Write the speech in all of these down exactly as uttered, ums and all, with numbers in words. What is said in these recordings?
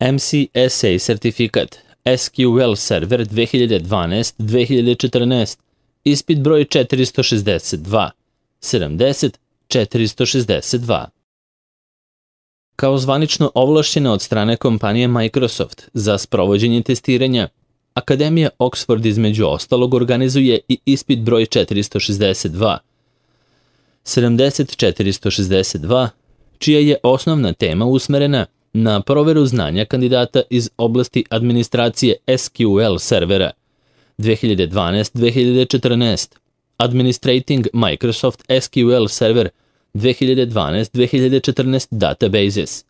M C S A sertifikat S Q L Server dve hiljade dvanaest do dve hiljade četrnaest, ispit broj četiristo šezdeset dva, sedamdeset četiristo šezdeset dva. Kao zvanično ovlašćena od strane kompanije Microsoft za sprovođenje testiranja, Akademija Oxford između ostalog organizuje i ispit broj četiristo šezdeset dva, sedamdeset četiristo šezdeset dva, čija je osnovna tema usmerena na proveru znanja kandidata iz oblasti administracije S Q L servera dve hiljade dvanaest do dve hiljade četrnaest, Administrating Microsoft S Q L Server dve hiljade dvanaest do dve hiljade četrnaest Databases.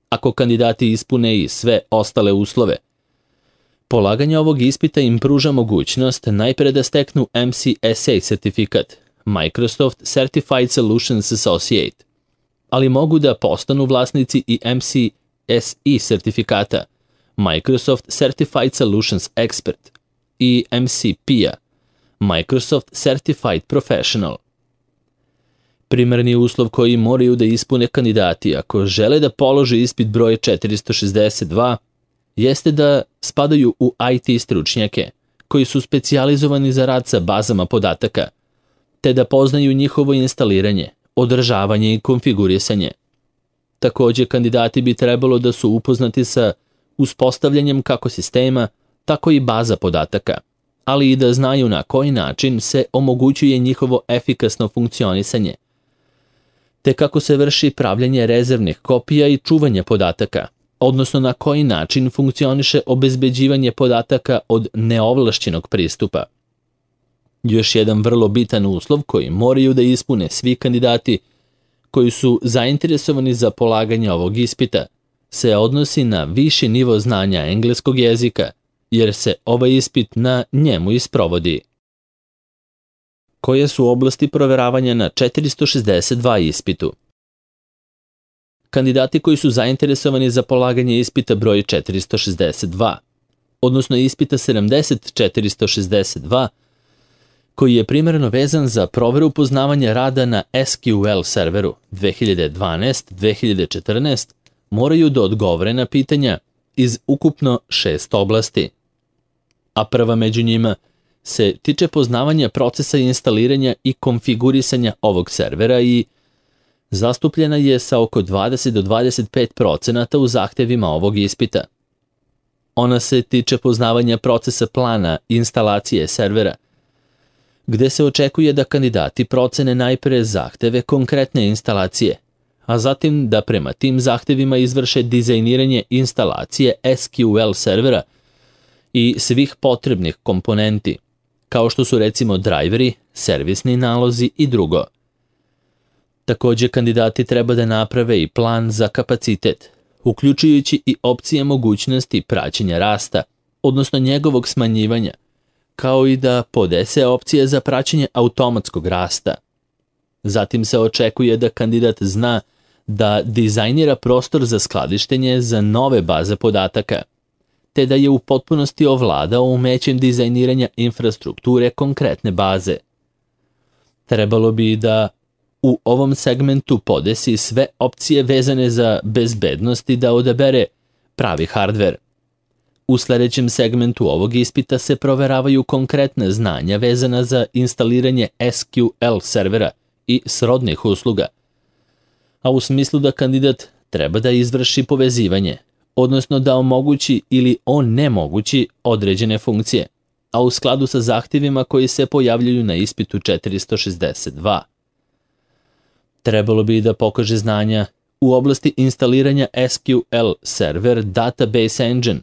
Ako kandidati ispune i sve ostale uslove, polaganje ovog ispita im pruža mogućnost najpre da steknu M C S A sertifikat, Microsoft Certified Solutions Associate, ali mogu da postanu vlasnici i M C S E sertifikata, Microsoft Certified Solutions Expert, i M C P-a, Microsoft Certified Professional. Primarni uslov koji moraju da ispune kandidati ako žele da polože ispit broj četiristo šezdeset dva jeste da spadaju u I T stručnjake koji su specijalizovani za rad sa bazama podataka, te da poznaju njihovo instaliranje, održavanje i konfigurisanje. Takođe, kandidati bi trebalo da su upoznati sa uspostavljanjem kako sistema, tako i baza podataka, ali i da znaju na koji način se omogućuje njihovo efikasno funkcionisanje, te kako se vrši pravljanje rezervnih kopija i čuvanje podataka, odnosno na koji način funkcioniše obezbeđivanje podataka od neovlašćenog pristupa. Još jedan vrlo bitan uslov koji moraju da ispune svi kandidati koji su zainteresovani za polaganje ovog ispita se odnosi na viši nivo znanja engleskog jezika, jer se ovaj ispit na njemu isprovodi. Koje su oblasti proveravanja na četiristo šezdeset dva ispitu? Kandidati koji su zainteresovani za polaganje ispita broj četiristo šezdeset dva, odnosno ispita sedamdeset četiristo šezdeset dva, koji je primarno vezan za proveru poznavanja rada na S Q L serveru dve hiljade dvanaest do dve hiljade četrnaest, moraju da odgovore na pitanja iz ukupno šest oblasti. A prva među njima se tiče poznavanja procesa instaliranja i konfigurisanja ovog servera i zastupljena je sa oko dvadeset do dvadeset pet procenata u zahtevima ovog ispita. Ona se tiče poznavanja procesa plana instalacije servera, gde se očekuje da kandidati procene najpre zahteve konkretne instalacije, a zatim da prema tim zahtevima izvrše dizajniranje instalacije S Q L servera i svih potrebnih komponenti, kao što su recimo drajveri, servisni nalozi i drugo. Takođe, kandidati treba da naprave i plan za kapacitet, uključujući i opcije mogućnosti praćenja rasta, odnosno njegovog smanjivanja, kao i da podese opcije za praćenje automatskog rasta. Zatim se očekuje da kandidat zna da dizajnira prostor za skladištenje za nove baze podataka, te da je u potpunosti ovladao umećem dizajniranja infrastrukture konkretne baze. Trebalo bi da u ovom segmentu podesi sve opcije vezane za bezbednost i da odabere pravi hardver. U sledećem segmentu ovog ispita se proveravaju konkretne znanja vezana za instaliranje S Q L servera i srodnih usluga, a u smislu da kandidat treba da izvrši povezivanje, odnosno da omogući ili onemogući određene funkcije, a u skladu sa zahtjevima koji se pojavljuju na ispitu četiristo šezdeset dva. Trebalo bi da pokaže znanja u oblasti instaliranja S Q L server Database Engine,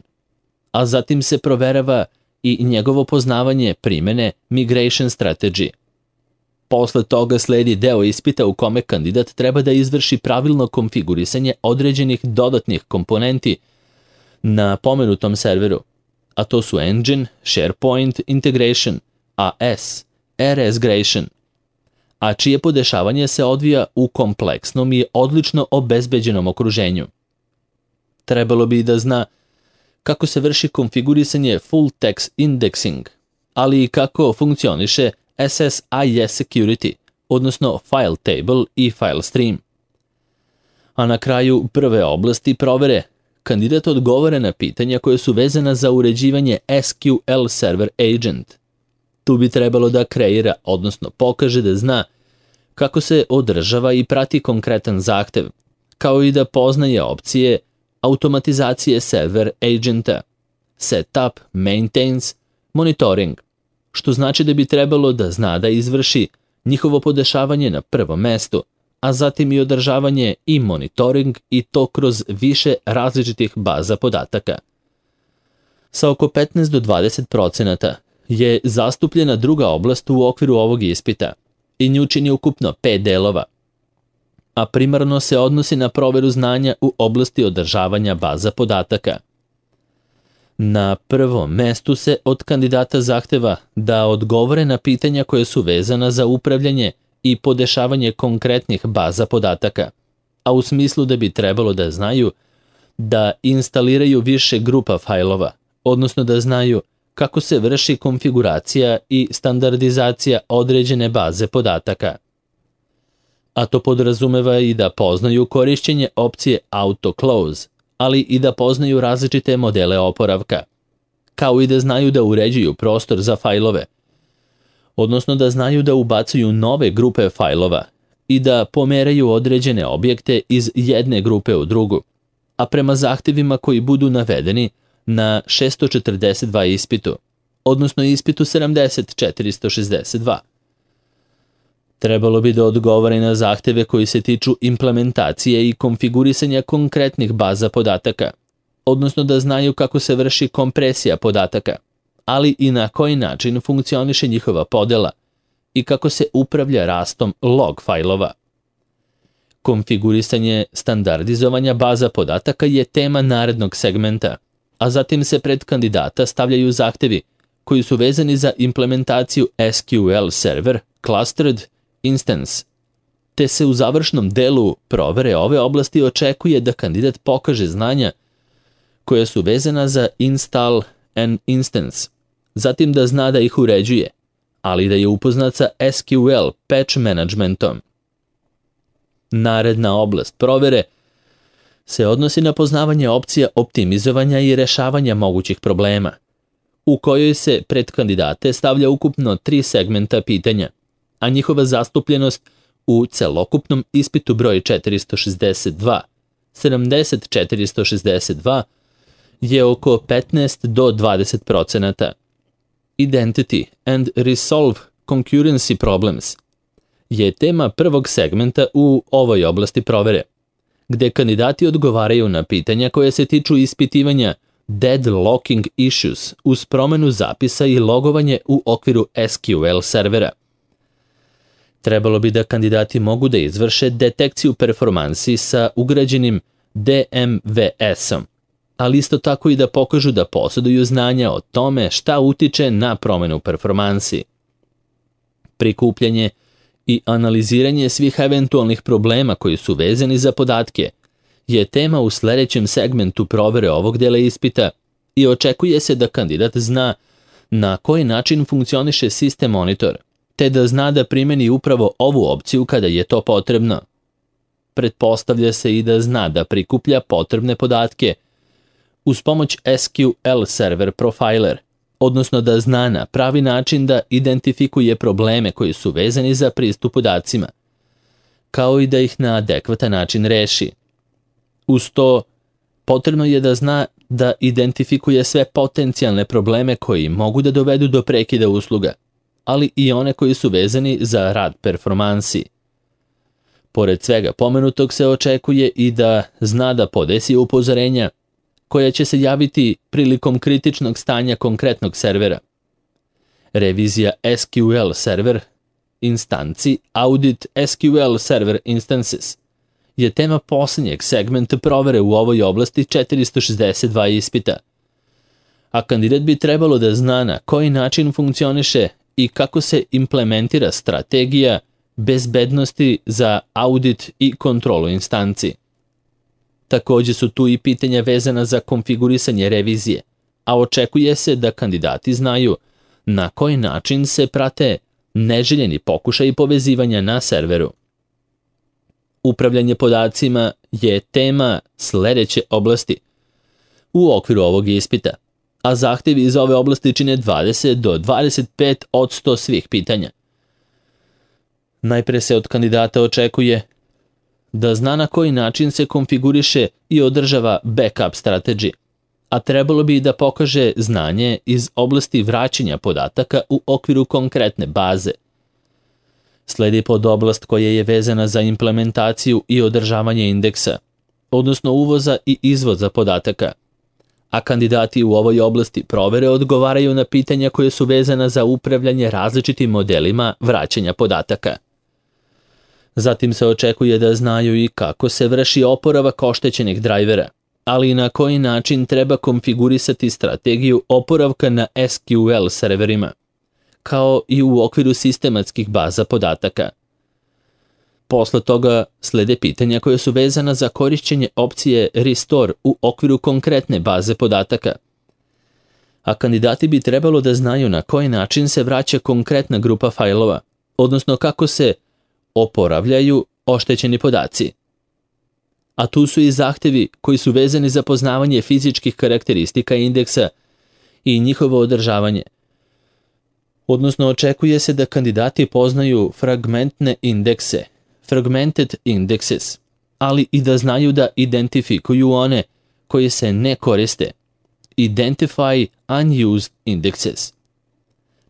a zatim se proverava i njegovo poznavanje primene Migration Strategy. Posle toga sledi deo ispita u kome kandidat treba da izvrši pravilno konfigurisanje određenih dodatnih komponenti na pomenutom serveru, a to su Engine, SharePoint Integration, A S, RSgration, a čije podešavanje se odvija u kompleksnom i odlično obezbeđenom okruženju. Trebalo bi da zna kako se vrši konfigurisanje Full Text Indexing, ali i kako funkcioniše S S I S Security, odnosno File Table i File Stream. A na kraju prve oblasti provere, kandidat odgovara na pitanja koje su vezana za uređivanje S Q L Server Agent. Tu bi trebalo da kreira, odnosno pokaže da zna kako se održava i prati konkretan zahtev, kao i da poznaje opcije automatizacije server agenta, setup, maintains, monitoring, što znači da bi trebalo da zna da izvrši njihovo podešavanje na prvom mestu, a zatim i održavanje i monitoring i to kroz više različitih baza podataka. Sa oko petnaest do dvadeset procenata je zastupljena druga oblast u okviru ovog ispita i nju čini ukupno pet delova, a primarno se odnosi na proveru znanja u oblasti održavanja baza podataka. Na prvom mestu se od kandidata zahteva da odgovore na pitanja koje su vezana za upravljanje i podešavanje konkretnih baza podataka, a u smislu da bi trebalo da znaju da instaliraju više grupa fajlova, odnosno da znaju kako se vrši konfiguracija i standardizacija određene baze podataka. A to podrazumeva i da poznaju korišćenje opcije Auto Close, ali i da poznaju različite modele oporavka, kao i da znaju da uređuju prostor za fajlove, odnosno da znaju da ubacuju nove grupe fajlova i da pomeraju određene objekte iz jedne grupe u drugu, a prema zahtevima koji budu navedeni na šesto četrdeset dva ispitu, odnosno ispitu sedamdeset četiristo šezdeset dva. Trebalo bi da odgovore na zahteve koji se tiču implementacije i konfigurisanja konkretnih baza podataka, odnosno da znaju kako se vrši kompresija podataka, ali i na koji način funkcioniše njihova podela i kako se upravlja rastom log fajlova. Konfigurisanje standardizovanja baza podataka je tema narednog segmenta, a zatim se pred kandidata stavljaju zahtevi koji su vezani za implementaciju S Q L Server Clustered Instance, te se u završnom delu provere ove oblasti očekuje da kandidat pokaže znanja koja su vezana za Install an Instance, zatim da zna da ih uređuje, ali da je upoznat sa S Q L Patch Managementom. Naredna oblast provere se odnosi na poznavanje opcija optimizovanja i rešavanja mogućih problema, u kojoj se pred kandidate stavlja ukupno tri segmenta pitanja, a njihova zastupljenost u celokupnom ispitu broj četiristo šezdeset dva, sedamdeset četiristo šezdeset dva je oko petnaest do dvadeset procenata. Identity and Resolve Concurrency Problems je tema prvog segmenta u ovoj oblasti provere, gde kandidati odgovaraju na pitanja koje se tiču ispitivanja deadlocking issues uz promenu zapisa i logovanje u okviru S Q L servera. Trebalo bi da kandidati mogu da izvrše detekciju performansi sa ugrađenim D M V S-om, ali isto tako i da pokažu da posjeduju znanja o tome šta utiče na promenu performansi. Prikupljanje i analiziranje svih eventualnih problema koji su vezani za podatke je tema u sledećem segmentu provere ovog dela ispita i očekuje se da kandidat zna na koji način funkcioniše sistem monitor, te da zna da primeni upravo ovu opciju kada je to potrebno. Pretpostavlja se i da zna da prikuplja potrebne podatke uz pomoć S Q L Server Profiler, odnosno da zna na pravi način da identifikuje probleme koji su vezani za pristup podacima, kao i da ih na adekvatan način reši. Uz to, potrebno je da zna da identifikuje sve potencijalne probleme koji mogu da dovedu do prekida usluga, ali i one koji su vezani za rad performansi. Pored svega pomenutog se očekuje i da zna da podesi upozorenja koja će se javiti prilikom kritičnog stanja konkretnog servera. Revizija S Q L server instanci Audit S Q L Server Instances je tema posljednjeg segmenta provere u ovoj oblasti četiristo šezdeset dva ispita, a kandidat bi trebalo da zna na koji način funkcioniše i kako se implementira strategija bezbednosti za audit i kontrolu instanci. Takođe su tu i pitanja vezana za konfigurisanje revizije, a očekuje se da kandidati znaju na koji način se prate neželjeni pokušaji povezivanja na serveru. Upravljanje podacima je tema sledeće oblasti, u okviru ovog ispita, a zahtevi iz ove oblasti čine dvadeset do dvadeset pet posto svih pitanja. Najpre se od kandidata očekuje da zna na koji način se konfiguriše i održava backup strategy, a trebalo bi da pokaže znanje iz oblasti vraćanja podataka u okviru konkretne baze. Sledi podoblast koja je vezana za implementaciju i održavanje indeksa, odnosno uvoza i izvoza podataka, a kandidati u ovoj oblasti provere odgovaraju na pitanja koje su vezana za upravljanje različitim modelima vraćanja podataka. Zatim se očekuje da znaju i kako se vrši oporavak oštećenih drajvera, ali i na koji način treba konfigurisati strategiju oporavka na S Q L serverima, kao i u okviru sistematskih baza podataka. Posle toga slede pitanja koje su vezana za korišćenje opcije Restore u okviru konkretne baze podataka, a kandidati bi trebalo da znaju na koji način se vraća konkretna grupa fajlova, odnosno kako se oporavljaju oštećeni podaci. A tu su i zahtevi koji su vezani za poznavanje fizičkih karakteristika indeksa i njihovo održavanje. Odnosno, očekuje se da kandidati poznaju fragmentne indekse, fragmented indexes, ali i da znaju da identifikuju one koji se ne koriste, identify unused indexes.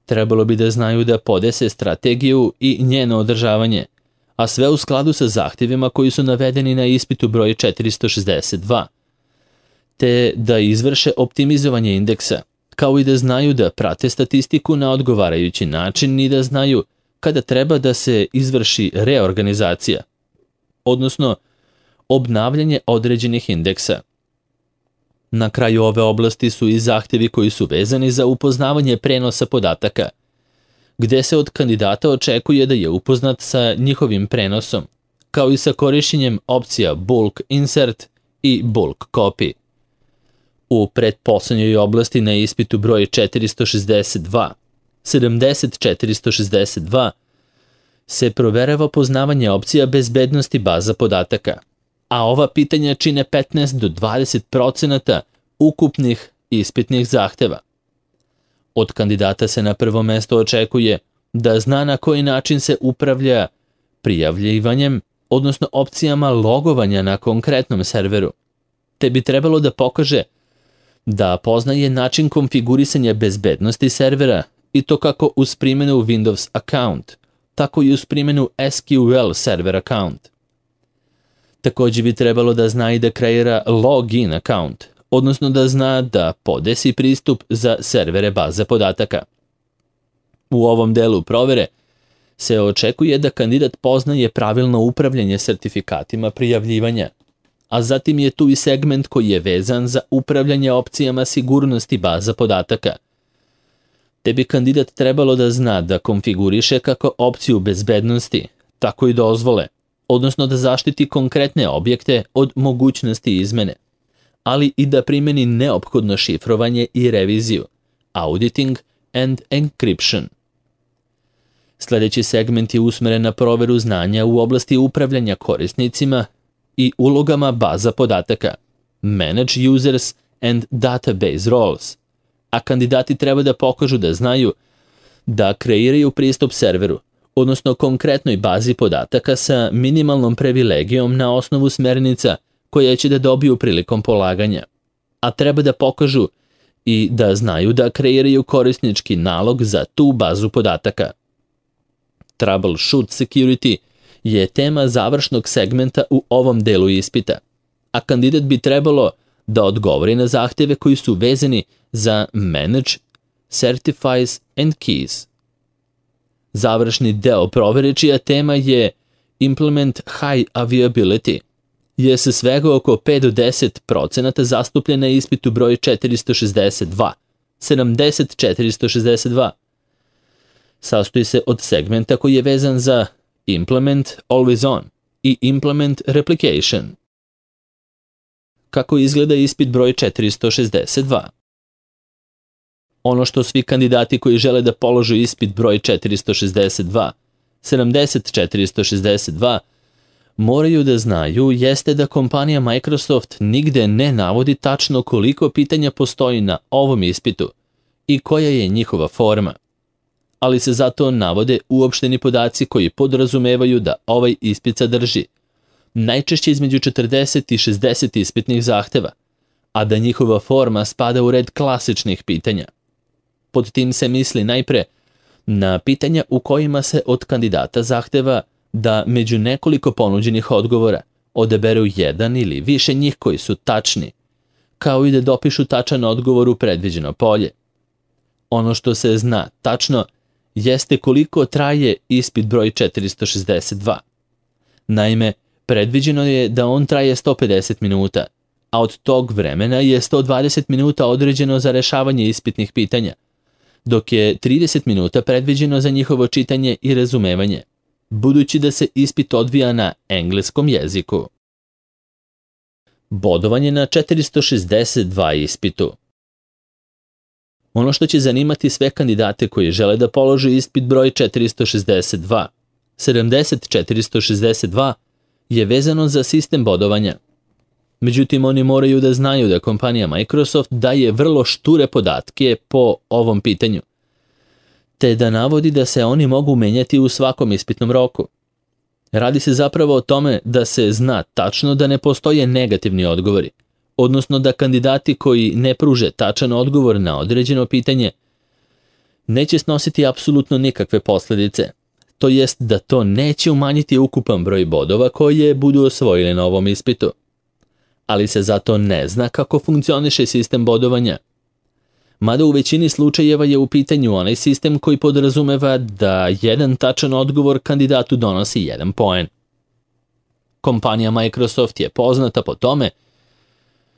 Trebalo bi da znaju da podese strategiju i njeno održavanje, a sve u skladu sa zahtjevima koji su navedeni na ispitu broj četiristo šezdeset dva, te da izvrše optimizovanje indeksa, kao i da znaju da prate statistiku na odgovarajući način i da znaju kada treba da se izvrši reorganizacija, odnosno obnavljanje određenih indeksa. Na kraju ove oblasti su i zahtjevi koji su vezani za upoznavanje prenosa podataka, gde se od kandidata očekuje da je upoznat sa njihovim prenosom, kao i sa korišćenjem opcija bulk insert i bulk copy. U pretposlednjoj oblasti na ispitu broj četiristo šezdeset dva, sedamdeset četiristo šezdeset dva, se proverava poznavanje opcija bezbednosti baza podataka, a ova pitanja čine petnaest do dvadeset procenata ukupnih ispitnih zahteva. Od kandidata se na prvo mesto očekuje da zna na koji način se upravlja prijavljivanjem, odnosno opcijama logovanja na konkretnom serveru, te bi trebalo da pokaže da poznaje način konfigurisanja bezbednosti servera i to kako uz primjenu Windows account, tako i uz primjenu S Q L server account. Također bi trebalo da zna i da kreira login account, odnosno da zna da podesi pristup za servere baze podataka. U ovom delu provere se očekuje da kandidat poznaje pravilno upravljanje sertifikatima prijavljivanja, a zatim je tu i segment koji je vezan za upravljanje opcijama sigurnosti baza podataka. Te bi kandidat trebalo da zna da konfiguriše kako opciju bezbednosti, tako i dozvole, odnosno da zaštiti konkretne objekte od mogućnosti izmene, ali i da primeni neophodno šifrovanje i reviziju, auditing and encryption. Sljedeći segment je usmeren na proveru znanja u oblasti upravljanja korisnicima i ulogama baza podataka, manage users and database roles, a kandidati treba da pokažu da znaju da kreiraju pristup serveru, odnosno konkretnoj bazi podataka sa minimalnom privilegijom na osnovu smernica koje će da dobiju prilikom polaganja, a treba da pokažu i da znaju da kreiraju korisnički nalog za tu bazu podataka. Troubleshoot security je tema završnog segmenta u ovom delu ispita, a kandidat bi trebalo da odgovori na zahtjeve koji su vezani za manage, certifies and keys. Završni deo provere čija tema je implement high availability je sa svega oko pet do deset procenata zastupljena na ispitu broj četiristo šezdeset dva, sedamdeset četiristo šezdeset dva. Sastoji se od segmenta koji je vezan za implement always on i implement replication. Kako izgleda ispit broj četiristo šezdeset dva? Ono što svi kandidati koji žele da položu ispit broj četiristo šezdeset dva, sedamdeset četiristo šezdeset dva, moraju da znaju jeste da kompanija Microsoft nigde ne navodi tačno koliko pitanja postoji na ovom ispitu i koja je njihova forma, ali se zato navode uopšteni podaci koji podrazumevaju da ovaj ispit sadrži najčešće između četrdeset i šezdeset ispitnih zahteva, a da njihova forma spada u red klasičnih pitanja. Pod tim se misli najpre na pitanja u kojima se od kandidata zahteva da među nekoliko ponuđenih odgovora odaberu jedan ili više njih koji su tačni, kao i da dopišu tačan odgovor u predviđeno polje. Ono što se zna tačno jeste koliko traje ispit broj četiristo šezdeset dva. Naime, predviđeno je da on traje sto pedeset minuta, a od tog vremena je sto dvadeset minuta određeno za rešavanje ispitnih pitanja, dok je trideset minuta predviđeno za njihovo čitanje i razumevanje, budući da se ispit odvija na engleskom jeziku. Bodovanje na četiristo šezdeset dva ispitu. Ono što će zanimati sve kandidate koji žele da polože ispit broj četiristo šezdeset dva, sedamdeset četiristo šezdeset dva, je vezano za sistem bodovanja. Međutim, oni moraju da znaju da kompanija Microsoft daje vrlo šture podatke po ovom pitanju, te da navodi da se oni mogu menjati u svakom ispitnom roku. Radi se zapravo o tome da se zna tačno da ne postoje negativni odgovori, odnosno da kandidati koji ne pruže tačan odgovor na određeno pitanje neće snositi apsolutno nikakve posledice, to jest da to neće umanjiti ukupan broj bodova koje budu osvojili na ovom ispitu. Ali se zato ne zna kako funkcioniše sistem bodovanja. Mada u većini slučajeva je u pitanju onaj sistem koji podrazumeva da jedan tačan odgovor kandidatu donosi jedan poen. Kompanija Microsoft je poznata po tome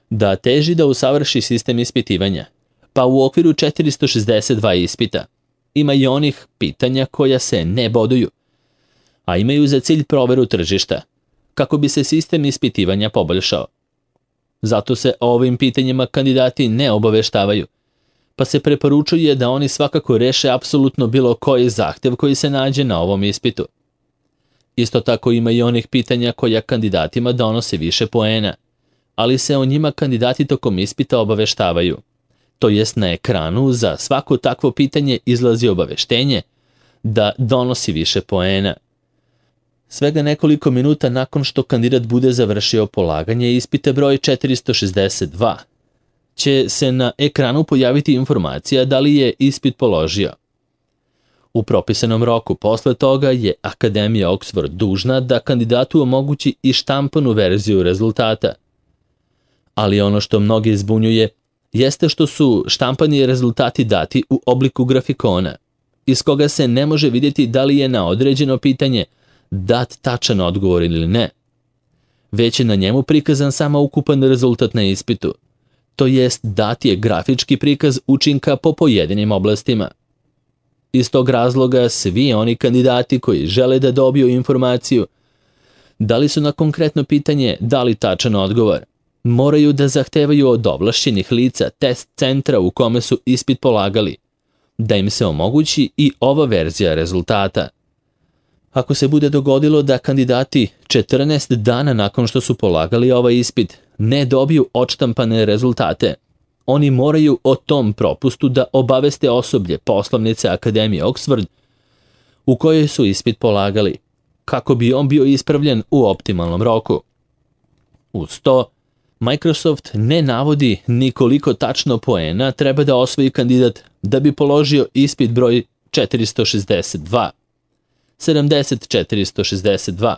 da teži da usavrši sistem ispitivanja, pa u okviru četiristo šezdeset dva ispita ima i onih pitanja koja se ne boduju, a imaju za cilj proveru tržišta, kako bi se sistem ispitivanja poboljšao. Zato se o ovim pitanjima kandidati ne obaveštavaju, pa se preporučuje da oni svakako reše apsolutno bilo koji zahtev koji se nađe na ovom ispitu. Isto tako ima i onih pitanja koja kandidatima donose više poena, ali se o njima kandidati tokom ispita obaveštavaju. To jest na ekranu za svako takvo pitanje izlazi obaveštenje da donosi više poena. Svega nekoliko minuta nakon što kandidat bude završio polaganje ispita broj četiristo šezdeset dva, će se na ekranu pojaviti informacija da li je ispit položio. U propisanom roku posle toga je Akademija Oxford dužna da kandidatu omogući i štampanu verziju rezultata. Ali ono što mnoge zbunjuje jeste što su štampani rezultati dati u obliku grafikona, iz koga se ne može vidjeti da li je na određeno pitanje dat tačan odgovor ili ne. Već je na njemu prikazan samo ukupan rezultat na ispitu, to jest dat je grafički prikaz učinka po pojedinim oblastima. Iz tog razloga svi oni kandidati koji žele da dobiju informaciju da li su na konkretno pitanje dali tačan odgovor, moraju da zahtevaju od ovlašćenih lica test centra u kome su ispit polagali, da im se omogući i ova verzija rezultata. Ako se bude dogodilo da kandidati četrnaest dana nakon što su polagali ovaj ispit ne dobiju odštampane rezultate, oni moraju o tom propustu da obaveste osoblje poslovnice Akademije Oxford u kojoj su ispit polagali, kako bi on bio ispravljen u optimalnom roku. Uz to, Microsoft ne navodi ni koliko tačno poena treba da osvoji kandidat da bi položio ispit broj četiristo šezdeset dva, sedamdeset četiristo šezdeset dva,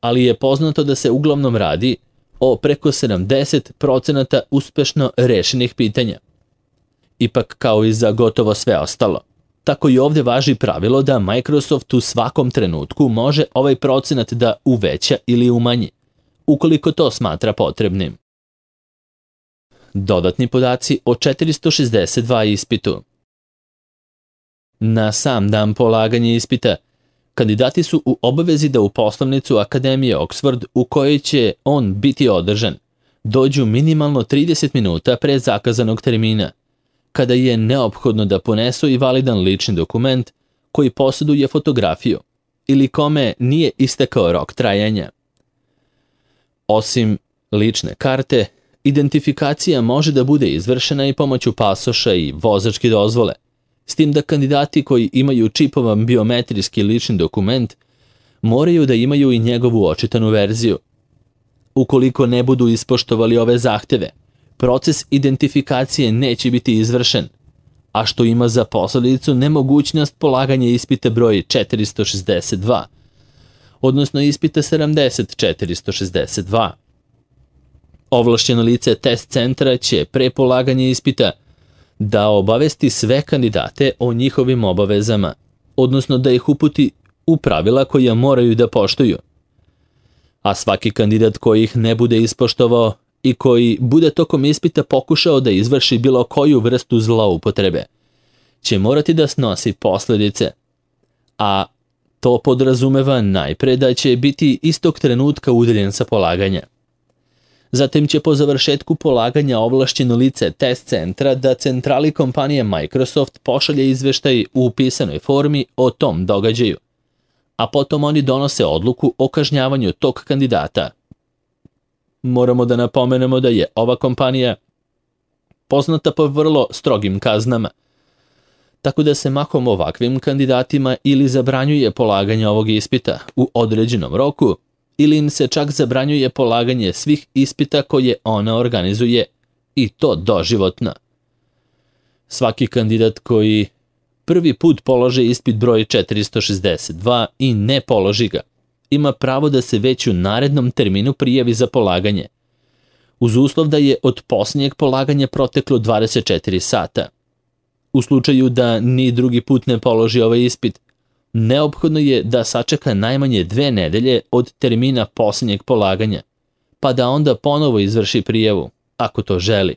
ali je poznato da se uglavnom radi o preko sedamdeset procenata uspešno rešenih pitanja. Ipak kao i za gotovo sve ostalo, tako i ovdje važi pravilo da Microsoft u svakom trenutku može ovaj procenat da uveća ili umanji, ukoliko to smatra potrebnim. Dodatni podaci o četiristo šezdeset dva ispitu. Na sam dan polaganja ispita, kandidati su u obavezi da u poslovnicu Akademije Oxford u kojoj će on biti održan, dođu minimalno trideset minuta pre zakazanog termina, kada je neophodno da ponesu i validan lični dokument koji posjeduje fotografiju ili kome nije istekao rok trajanja, Osim lične karte, identifikacija može da bude izvršena i pomoću pasoša i vozačke dozvole, s tim da kandidati koji imaju čipovan biometrijski lični dokument moraju da imaju i njegovu očitanu verziju. Ukoliko ne budu ispoštovali ove zahteve, proces identifikacije neće biti izvršen, a što ima za posledicu nemogućnost polaganja ispita broj četiristo šezdeset dva, odnosno ispita sedamdeset četiristo šezdeset dva. Ovlašćeno lice test centra će pre polaganja ispita da obavesti sve kandidate o njihovim obavezama, odnosno da ih uputi u pravila koja moraju da poštuju. A svaki kandidat koji ih ne bude ispoštovao i koji bude tokom ispita pokušao da izvrši bilo koju vrstu zloupotrebe, će morati da snosi posledice, a to podrazumeva najpre da će biti istog trenutka udaljen sa polaganja. Zatim će po završetku polaganja ovlašćeno lice test centra da centrali kompanije Microsoft pošalje izveštaj u pisanoj formi o tom događaju, a potom oni donose odluku o kažnjavanju tog kandidata. Moramo da napomenemo da je ova kompanija poznata po vrlo strogim kaznama, tako da se mahom ovakvim kandidatima ili zabranjuje polaganje ovog ispita u određenom roku, ili im se čak zabranjuje polaganje svih ispita koje ona organizuje, i to doživotno. Svaki kandidat koji prvi put položi ispit broj četiristo šezdeset dva i ne položi ga, ima pravo da se već u narednom terminu prijavi za polaganje, uz uslov da je od posljednjeg polaganja proteklo dvadeset četiri sata. U slučaju da ni drugi put ne položi ovaj ispit, neophodno je da sačeka najmanje dve nedelje od termina posljednjeg polaganja, pa da onda ponovo izvrši prijavu, ako to želi.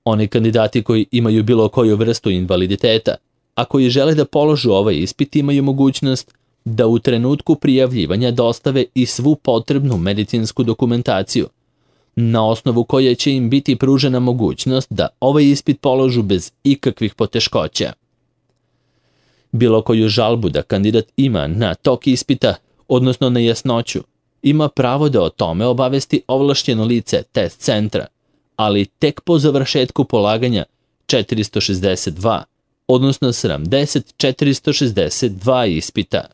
Oni kandidati koji imaju bilo koju vrstu invaliditeta, a koji žele da položu ovaj ispit, imaju mogućnost da u trenutku prijavljivanja dostave i svu potrebnu medicinsku dokumentaciju, na osnovu koje će im biti pružena mogućnost da ovaj ispit položu bez ikakvih poteškoća. Bilo koju žalbu da kandidat ima na tok ispita, odnosno na jasnoću, ima pravo da o tome obavesti ovlašćeno lice test centra, ali tek po završetku polaganja četiristo šezdeset dva, odnosno sedamdeset četiristo šezdeset dva ispita.